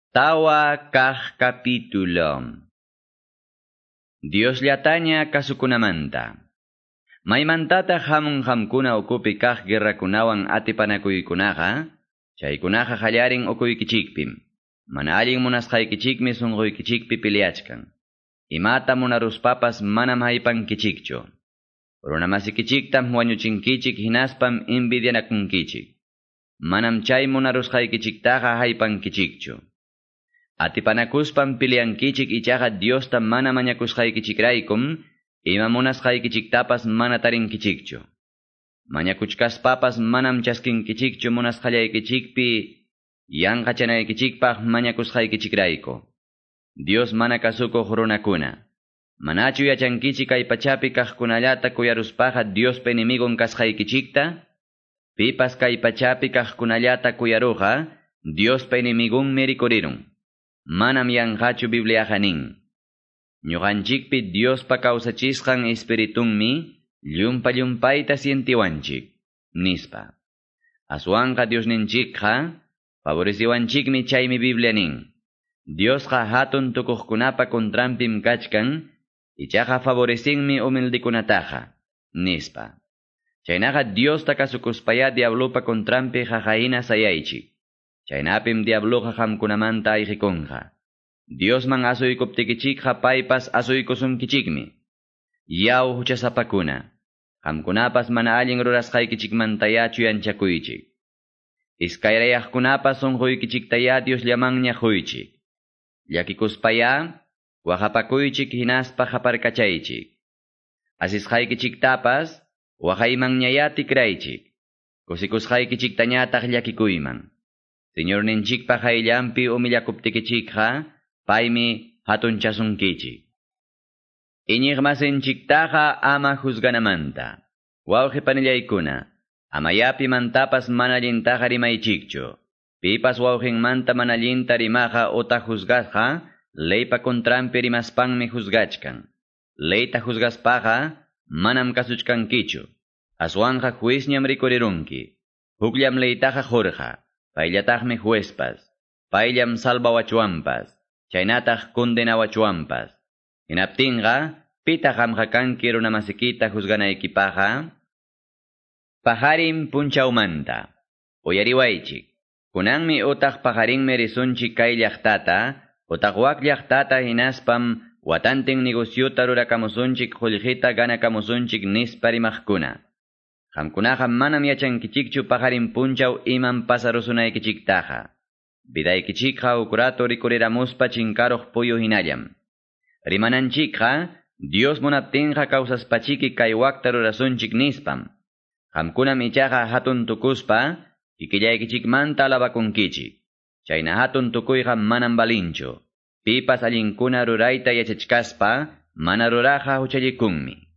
Tawa kaq capítulo. Diosllataña kasukunamanta. Maymantata hamun hamkuna ukupi kaq guerrakunawan atipanakuykunaqa, chaykunaqa hallarin ukuykichikpim. Mana allin munasqaykichikmi sunquykichikpi peleachkan. Imata munaruspapas manam haypankichikchu. Runamasikichiktam wañuchinkichik hinaspam envidianakunkichik. Manam chay munarusqaykichiktaqa haypankichikchu. Atipanakuspam peleankichik ichaqa Diosta mana mañakusqaykichikraykum, ima munasqaykichiktapas mana tarinkichikchu. Mañakuchkaspapas manam chaskinkichikchu munasqallaykichikpi yanqachanaykichikpaq mañakusqaykichikrayku. Dios mana kasukuq runakuna. Manachu yachankichik kay pachapi kaqkunallata kuyaruspaqa Diospa enemigon kasqaykichikta? Pipas kay pachapi kaqkunallata kuyaruqa Diospa enemigunmi rikurirun. Manam yanqachu Bibliaqa nin. Ñuqanchikpi Diospa kawsachisqan espiritunmi llumpa llumpayta sientiwanchik, nispa. Aswanqa Diosninchikqa favoreciwanchikmi chaymi Biblia nin. Diosqa hatun tukuqkunapa contranpim kachkan, ichaqa favorecinmi humildekunataqa, nispa. Chaynaqa Diosta kasukuspaya diablopa contranpi qaqahina sayaychik. Chaynapim diabloqa qamkunamanta ayqikunqa. Diosman asuykuptikichikqa paypas asuykusunkichikmi. Yaw huchasapakuna. Qamkunapas mana allin rurasqaykichikmantaya chuyanchakuychik. Iskayrayaqkunapas sunquykichiktaya Diosllamanña quychik. Llakikuspaya waqapakuychik hinaspa qaparkachaychik. Asisqaykichiktapas waqaymanñaya tikraychik. Kusikusqaykichiktañataq llakikuyman. Señorninchikpa qayllanpi humillakuptikichikqa paymi hatunchasunkichik. Iñiqmasinchiktaqa ama juzganamanta. Wawqi panillaykuna, ama pimantapas mana allintaqa rimaychikchu. Pipas wawqinmanta mana allinta rimaqa utaq juzgasqa, leypa contranpi rimaspanmi juzgachkan. Leyta juzgaspaqa manam kasuchkankichu. Aswanqa juezñam rikurirunki. Hukllam leytaqa qurqa. Payllataqmi juezpas. Payllam salvawachuanpas. Chaynataq condenawachuanpas. Hinaptinqa, pitaq qamqa kanki runamasikita juzganaykipaqa? Pajarin punchawmanta. Uyariwaychik. Kunanmi utaq pajarinmi risunchik kay llaqtata, utaq wak llaqtata hinaspam watantin negociota rurakamusunchik qullqita ganakamusunchik nispa rimaqkuna. Qamkunaqa manam yachankichikchu pajarin punchaw imam pasarusunaykichiktaqa. Vidaykichikqa huk rato rikuriramuspa chinkaruq puyu hinallam. Rimananchikqa Dios munaptinqa kawsaspachiki kay wakta rurasunchik nispam. Qamkunam ichaqa hatun tukuspa kikillaykichikmanta alabakunkichik. Chayna hatun tukuyqa manam balinchu. Pipas allinkuna rurayta yachachkaspa mana ruraqa huchallikunmi.